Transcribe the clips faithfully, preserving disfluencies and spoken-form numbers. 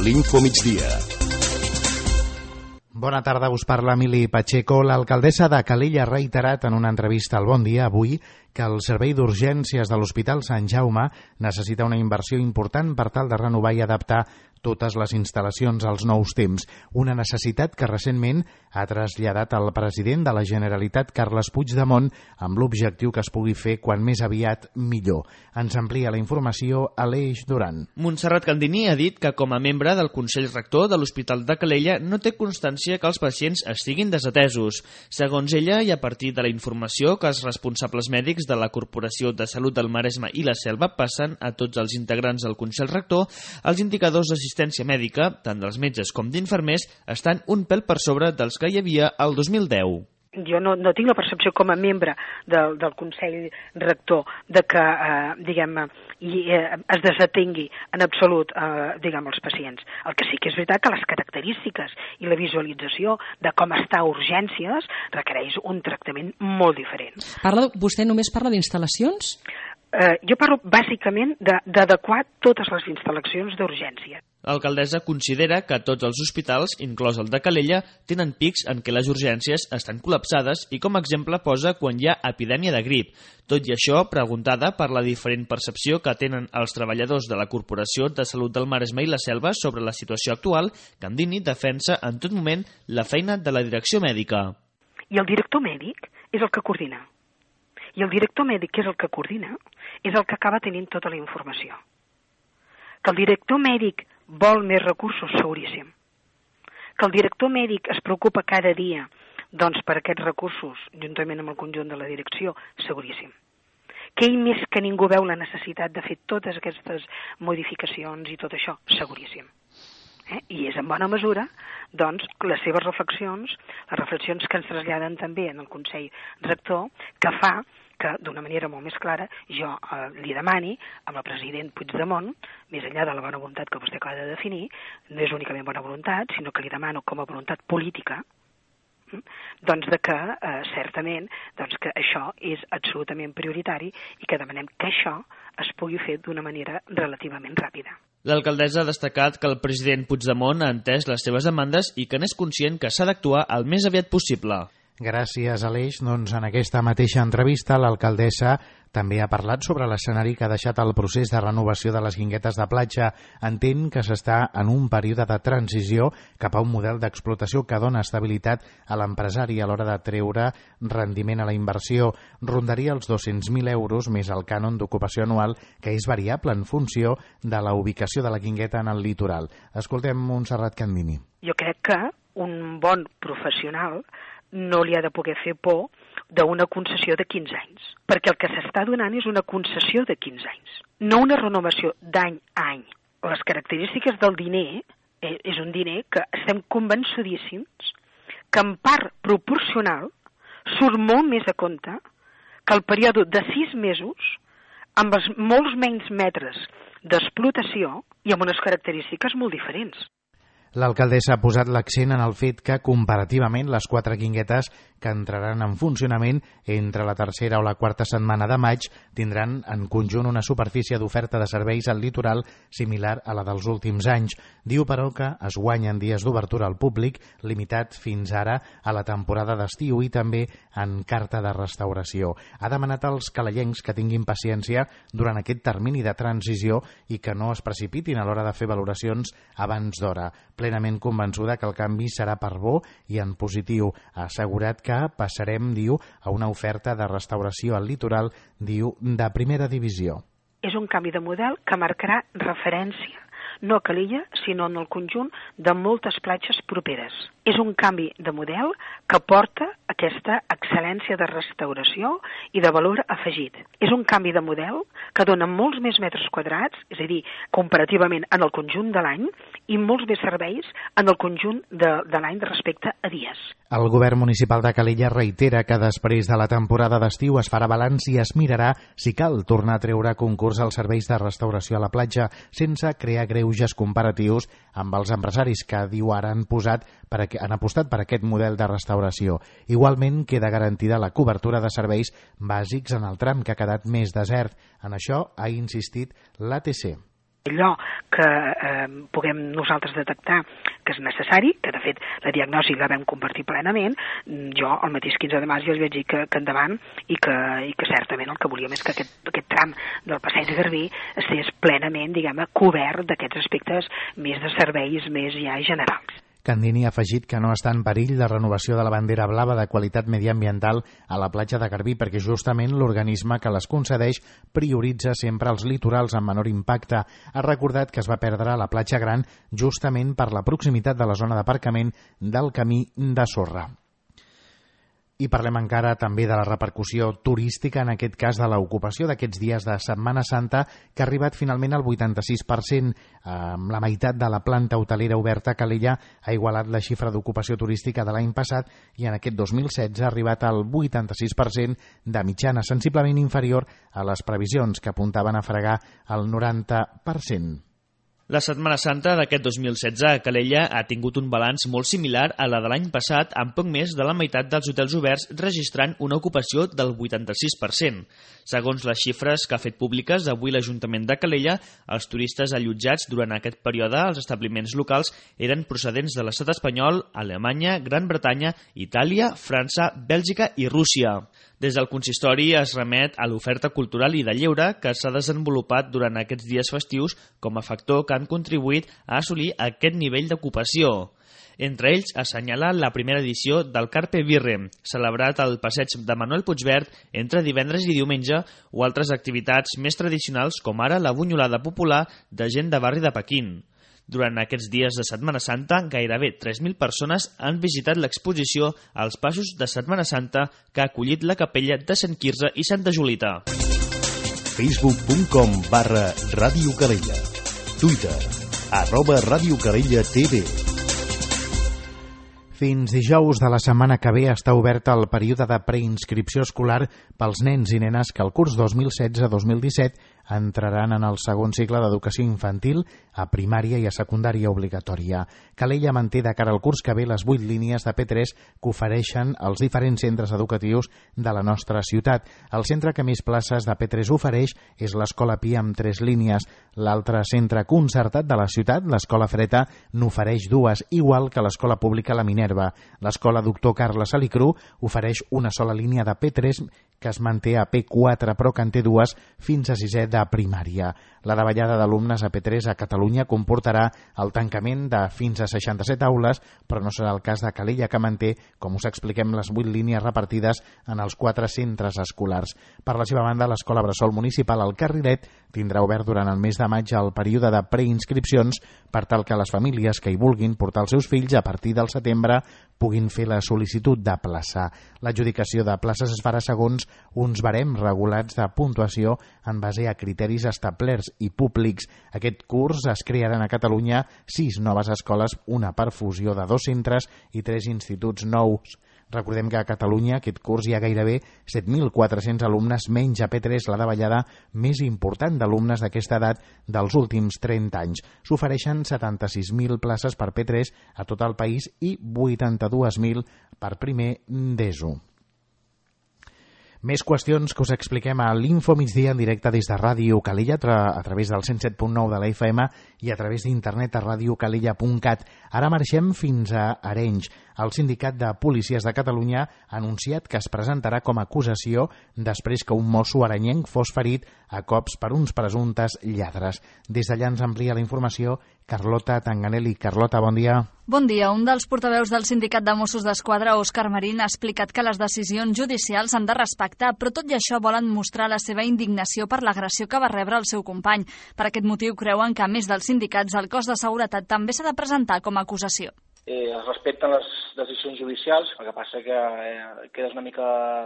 l'Info Migdia. Bona tarda, us parla Emili Pacheco. L'alcaldessa de Calella ha reiterat en una entrevista al Bon Dia avui que el servei d'urgències de l'Hospital Sant Jaume necessita una inversió important per tal de renovar i adaptar totes les instal·lacions als nous temps. Una necessitat que recentment ha traslladat al president de la Generalitat, Carles Puigdemont, amb l'objectiu que es pugui fer quan més aviat millor. Ens amplia la informació Aleix Duran. Montserrat Candini ha dit que com a membre del Consell Rector de l'Hospital de Calella no té constància que els pacients estiguin desatesos. Segons ella, i a partir de la informació que els responsables mèdics de la Corporació de Salut del Maresme i la Selva passen a tots els integrants del Consell Rector, els indicadors d'assistència mèdica, tant dels metges com d'infermers, estan un pèl per sobre dels que hi havia el dos mil deu. Jo no, no tinc la percepció com a membre del, del Consell Rector de que, eh, diguem, i, eh, es desatengui en absolut, eh, diguem, els pacients. El que sí que és veritat que les característiques i la visualització de com està a urgències requereix un tractament molt diferent. Parla, vostè només parla d'instal·lacions? Eh, jo parlo bàsicament d'adequar totes les instal·lacions d'urgència. L'alcaldessa considera que tots els hospitals, inclòs el de Calella, tenen pics en què les urgències estan col·lapsades i com a exemple posa quan hi ha epidèmia de grip. Tot i això, preguntada per la diferent percepció que tenen els treballadors de la Corporació de Salut del Maresme i la Selva sobre la situació actual, Candini defensa en tot moment la feina de la direcció mèdica. I el director mèdic és el que coordina. I el director mèdic, que és el que coordina, és el que acaba tenint tota la informació. Que el director mèdic vol més recursos, seguríssim. Que el director mèdic es preocupa cada dia doncs, per aquests recursos, juntament amb el conjunt de la direcció, seguríssim. Que ell més que ningú veu la necessitat de fer totes aquestes modificacions i tot això, seguríssim. Eh? I és en bona mesura doncs, les seves reflexions, les reflexions que ens traslladen també en el Consell Rector, que fa que d'una manera molt més clara jo eh, li demani amb el president Puigdemont, més enllà de la bona voluntat que vostè acaba de definir, no és únicament bona voluntat, sinó que li demano com a voluntat política, eh, doncs de que eh, certament doncs que això és absolutament prioritari i que demanem que això es pugui fer d'una manera relativament ràpida. L'alcaldessa ha destacat que el president Puigdemont ha entès les seves demandes i que n'és conscient que s'ha d'actuar el més aviat possible. Gràcies, Aleix. Doncs en aquesta mateixa entrevista l'alcaldessa també ha parlat sobre l'escenari que ha deixat el procés de renovació de les guinguetes de platja. Entén que s'està en un període de transició cap a un model d'explotació que dona estabilitat a l'empresari a l'hora de treure rendiment a la inversió. Rondaria els dos-cents mil euros més el cànon d'ocupació anual, que és variable en funció de la ubicació de la guingueta en el litoral. Escoltem Montserrat Candini. Jo crec que un bon professional no li ha de poder fer por d'una concessió de quinze anys, perquè el que s'està donant és una concessió de quinze anys, no una renovació d'any a any. Les característiques del diner eh, és un diner que estem convençudíssims que en part proporcional surt molt més a compte que el període de sis mesos amb els molts menys metres d'explotació i amb unes característiques molt diferents. L'alcaldessa ha posat l'accent en el fet que, comparativament, les quatre guinguetes que entraran en funcionament entre la tercera o la quarta setmana de maig tindran en conjunt una superfície d'oferta de serveis al litoral similar a la dels últims anys. Diu, però, que es guanyen dies d'obertura al públic, limitat fins ara a la temporada d'estiu i també en carta de restauració. Ha demanat als calellencs que tinguin paciència durant aquest termini de transició i que no es precipitin a l'hora de fer valoracions abans d'hora. Plenament convençuda que el canvi serà per bo i en positiu. Ha assegurat que passarem, diu, a una oferta de restauració al litoral, diu, de primera divisió. És un canvi de model que marcarà referència, no a Calella, sinó en el conjunt de moltes platges properes. És un canvi de model que porta aquesta excel·lència de restauració i de valor afegit. És un canvi de model que dona molts més metres quadrats, és a dir, comparativament en el conjunt de l'any, i molts més serveis en el conjunt de, de l'any respecte a dies. El govern municipal de Calella reitera que després de la temporada d'estiu es farà balanç i es mirarà si cal tornar a treure a concurs els serveis de restauració a la platja, sense crear greuges comparatius amb els empresaris que, diu ara, han posat per a han apostat per aquest model de restauració. Igualment, queda garantida la cobertura de serveis bàsics en el tram que ha quedat més desert. En això ha insistit l'A T C. allò que eh, puguem nosaltres detectar que és necessari, que de fet la diagnosi la vam compartir plenament, jo el mateix quinze de març ja els vaig dir que, que endavant i que, i que certament el que volíem és que aquest, aquest tram del Passeig de Garbí estigués plenament, diguem-ne, cobert d'aquests aspectes més de serveis més ja generals. Candini ha afegit que no està en perill la renovació de la bandera blava de qualitat mediambiental a la platja de Garbí perquè justament l'organisme que les concedeix prioritza sempre els litorals amb menor impacte. Ha recordat que es va perdre a la platja Gran justament per la proximitat de la zona d'aparcament del camí de sorra. I parlem encara també de la repercussió turística, en aquest cas de l'ocupació d'aquests dies de Setmana Santa, que ha arribat finalment al vuitanta-sis per cent. Amb la meitat de la planta hotelera oberta, Calella ha igualat la xifra d'ocupació turística de l'any passat i en aquest dos mil setze ha arribat al vuitanta-sis per cent de mitjana, sensiblement inferior a les previsions que apuntaven a fregar el noranta per cent. La Setmana Santa d'aquest dos mil setze a Calella ha tingut un balanç molt similar a la de l'any passat, amb poc més de la meitat dels hotels oberts registrant una ocupació del vuitanta-sis per cent. Segons les xifres que ha fet públiques avui l'Ajuntament de Calella, els turistes allotjats durant aquest període als establiments locals eren procedents de l'estat espanyol, Alemanya, Gran Bretanya, Itàlia, França, Bèlgica i Rússia. Des del consistori es remet a l'oferta cultural i de lleure que s'ha desenvolupat durant aquests dies festius com a factor que han contribuït a assolir aquest nivell d'ocupació. Entre ells assenyala la primera edició del Carpe Birre, celebrat al passeig de Manuel Puigverd entre divendres i diumenge, o altres activitats més tradicionals com ara la bunyolada popular de gent de barri de Pequín. Durant aquests dies de Setmana Santa, gairebé tres mil persones han visitat l'exposició als Passos de Setmana Santa que ha acollit la capella de Sant Quirze i Santa Julita. facebook punt com barra Ràdio Calella. Twitter, arroba Ràdio Calella T V. Fins dijous de la setmana que ve està obert el període de preinscripció escolar pels nens i nenes que el curs dos mil setze dos mil disset entraran en el segon cicle d'educació infantil a primària i a secundària obligatòria. Calella manté de cara al curs que ve les vuit línies de P tres que ofereixen els diferents centres educatius de la nostra ciutat. El centre que més places de P tres ofereix és l'Escola Pia amb tres línies. L'altre centre concertat de la ciutat, l'Escola Freta, n'ofereix dues, igual que l'Escola Pública La Minerva. L'Escola Doctor Carles Salicru ofereix una sola línia de P tres que es manté a P quatre, però que en té dues fins a sisè de primària. La davallada d'alumnes a P tres a Catalunya comportarà el tancament de fins a seixanta-set aules, però no serà el cas de Calella, que manté, com us expliquem, les vuit línies repartides en els quatre centres escolars. Per la seva banda, l'Escola Bressol Municipal al Carrilet tindrà obert durant el mes de maig el període de preinscripcions per tal que les famílies que hi vulguin portar els seus fills a partir del setembre puguin fer la sol·licitud de plaça. L'adjudicació de places es farà segons uns barems regulats de puntuació en base a criteris establerts i públics. Aquest curs es crearan a Catalunya sis noves escoles, una per fusió de dos centres i tres instituts nous. Recordem que a Catalunya aquest curs hi ha gairebé set mil quatre-cents alumnes menys a P tres, la davallada més important d'alumnes d'aquesta edat dels últims trenta anys. S'ofereixen setanta-sis mil places per P tres a tot el país i vuitanta-dos mil per primer d'ESO. Més qüestions que us expliquem a l'Info Migdia en directe des de Ràdio Calella a través del cent set punt nou de la F M i a través d'internet a radiocalella punt cat. Ara marxem fins a Arenys. El Sindicat de Policies de Catalunya ha anunciat que es presentarà com a acusació després que un mosso arenyenc fos ferit a cops per uns presumptes lladres. Des d'allà ens amplia la informació Carlota Tanganelli. Carlota, bon dia. Bon dia. Un dels portaveus del Sindicat de Mossos d'Esquadra, Òscar Marín, ha explicat que les decisions judicials s'han de respectar, però tot i això volen mostrar la seva indignació per l'agressió que va rebre el seu company. Per aquest motiu creuen que, a més dels sindicats, el cos de seguretat també s'ha de presentar com a acusació. Eh, es respecten les decisions judicials, el que passa que eh, quedes una mica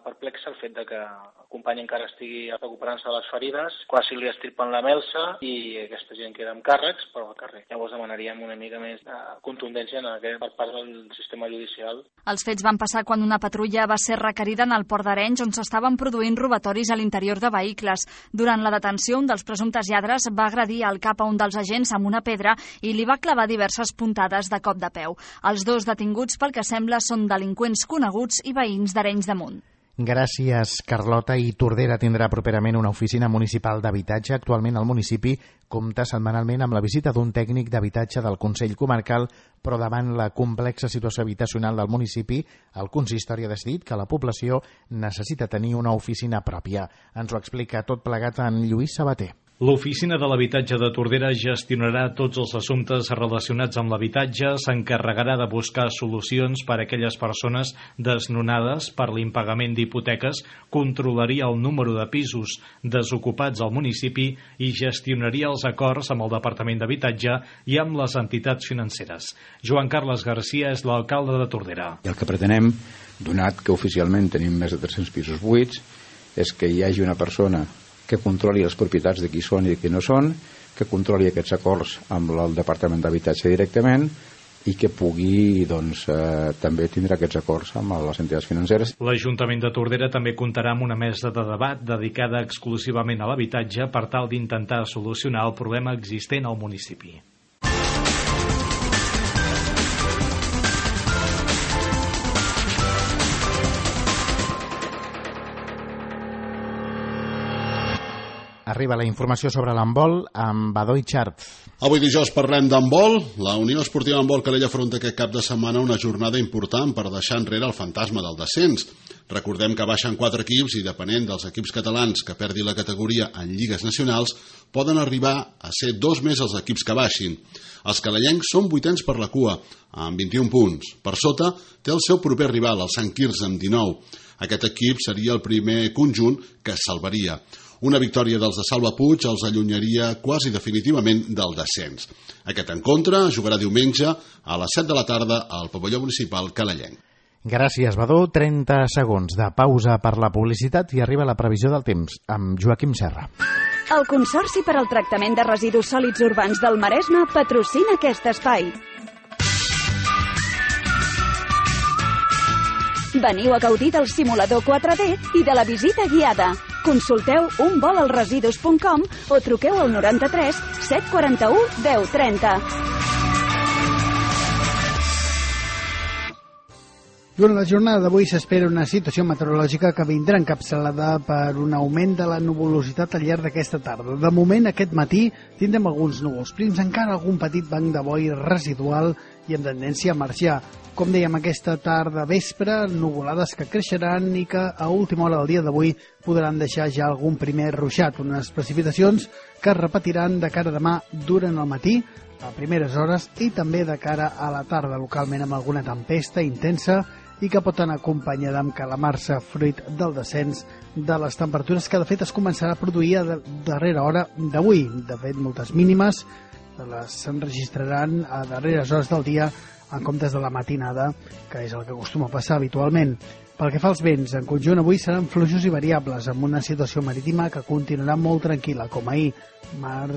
perplex el fet de que el company encara estigui recuperant-se de les ferides, quasi li estirpen la melsa i aquesta gent queda amb càrrecs, però al carrer. Llavors demanaríem una mica més de contundència en aquest per part del sistema judicial. Els fets van passar quan una patrulla va ser requerida en el port d'Arenys, on s'estaven produint robatoris a l'interior de vehicles. Durant la detenció, un dels presumptes lladres va agredir al cap a un dels agents amb una pedra i li va clavar diverses puntades de cop de peu. Els dos detinguts, pel que sembla, són delinqüents coneguts i veïns d'Arenys de Munt. Gràcies, Carlota. I Tordera tindrà properament una oficina municipal d'habitatge. Actualment el municipi compta setmanalment amb la visita d'un tècnic d'habitatge del Consell Comarcal, però davant la complexa situació habitacional del municipi, el consistori ha decidit que la població necessita tenir una oficina pròpia. Ens ho explica tot plegat en Lluís Sabater. L'Oficina de l'Habitatge de Tordera gestionarà tots els assumptes relacionats amb l'habitatge, s'encarregarà de buscar solucions per a aquelles persones desnonades per l'impagament d'hipoteques, controlaria el número de pisos desocupats al municipi i gestionaria els acords amb el Departament d'Habitatge i amb les entitats financeres. Joan Carles Garcia és l'alcalde de Tordera. I el que pretenem, donat que oficialment tenim més de tres-cents pisos buits, és que hi hagi una persona que controli les propietats de qui són i de qui no són, que controli aquests acords amb el Departament d'Habitatge directament i que pugui doncs, eh, també tindre aquests acords amb les entitats financeres. L'Ajuntament de Tordera també comptarà amb una mesa de debat dedicada exclusivament a l'habitatge per tal d'intentar solucionar el problema existent al municipi. Arriba la informació sobre l'handbol amb Badó i Xart. Avui dijous parlem d'handbol. La Unió Esportiva Handbol Calella afronta aquest cap de setmana una jornada important per deixar enrere el fantasma del descens. Recordem que baixen quatre equips i, depenent dels equips catalans que perdi la categoria en lligues nacionals, poden arribar a ser dos més els equips que baixin. Els calellencs són vuitens per la cua, amb vint-i-un punts. Per sota té el seu proper rival, el Sant Quirze, amb dinou. Aquest equip seria el primer conjunt que es salvaria. Una victòria dels de Salva Puig els allunyaria quasi definitivament del descens. Aquest encontre jugarà diumenge a les set de la tarda al pavelló municipal calellenc. Gràcies, Badó. trenta segons de pausa per la publicitat i arriba la previsió del temps amb Joaquim Serra. El Consorci per al Tractament de Residus Sòlids Urbans del Maresme patrocina aquest espai. Veniu a gaudir del simulador quatre D i de la visita guiada. Consulteu un vol als residus punt com o truqueu al noranta-tres set quaranta-u deu trenta. Durant la jornada d'avui s'espera una situació meteorològica que vindrà encapçalada per un augment de la nuvolositat al llarg d'aquesta tarda. De moment, aquest matí tindrem alguns núvols prims, encara algun petit banc de boi residual i amb tendència a marxar. Com dèiem, aquesta tarda vespre, nuvolades que creixeran i que a última hora del dia d'avui podran deixar ja algun primer ruixat, unes precipitacions que es repetiran de cara a demà durant el matí, a primeres hores, i també de cara a la tarda, localment amb alguna tempesta intensa i que pot anar acompanyada amb calamarsa fruit del descens de les temperatures que de fet es començarà a produir a darrera hora d'avui. De fet, moltes mínimes les s'enregistraran a darreres hores del dia en comptes de la matinada, que és el que acostuma a passar habitualment. Pel que fa als vents, en conjunt avui seran fluixos i variables, amb una situació marítima que continuarà molt tranquil·la, com ahir, mar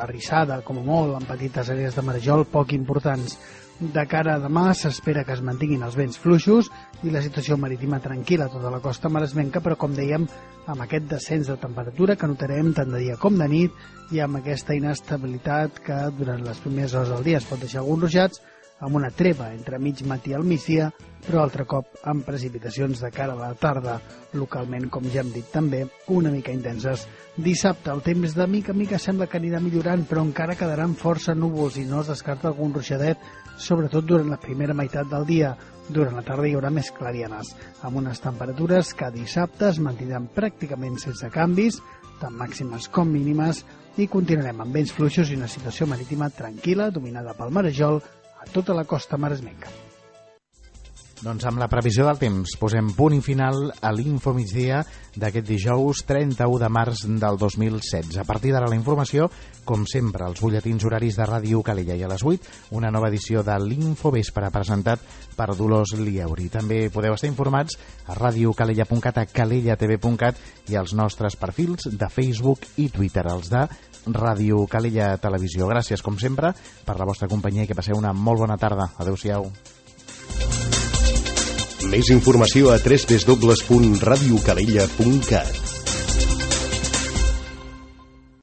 arrissada, com a molt, amb petites àrees de marejol poc importants. De cara a demà s'espera que es mantinguin els vents fluixos i la situació marítima tranquil·la a tota la costa maresmenca, però com dèiem, amb aquest descens de temperatura que notarem tant de dia com de nit i amb aquesta inestabilitat que durant les primeres hores del dia es pot deixar alguns ruixats, amb una treva entre mig matí al migdia, però altre cop amb precipitacions de cara a la tarda, localment, com ja hem dit també, una mica intenses. Dissabte el temps de mica a mica sembla que anirà millorant, però encara quedaran força núvols i no es descarta algun ruixadet, sobretot durant la primera meitat del dia. Durant la tarda hi haurà més clarianes, amb unes temperatures que dissabte es mantindran pràcticament sense canvis, tant màximes com mínimes, i continuarem amb vents fluixos i una situació marítima tranquil·la, dominada pel marejol, a tota la costa maresmenca. Doncs amb la previsió del temps posem punt i final a l'Info Migdia d'aquest dijous trenta-u de març del dos mil setze. A partir d'ara la informació, com sempre, els butlletins horaris de Ràdio Calella i a les vuit, una nova edició de l'Info Vespre presentat per Dolors Lieuri. També podeu estar informats a radiocalella punt cat, a calella t v punt cat i als nostres perfils de Facebook i Twitter, els de Ràdio Calella Televisió. Gràcies, com sempre, per la vostra companyia i que passeu una molt bona tarda. Adéu-siau. Més informació a w w w punt radiocalella punt cat.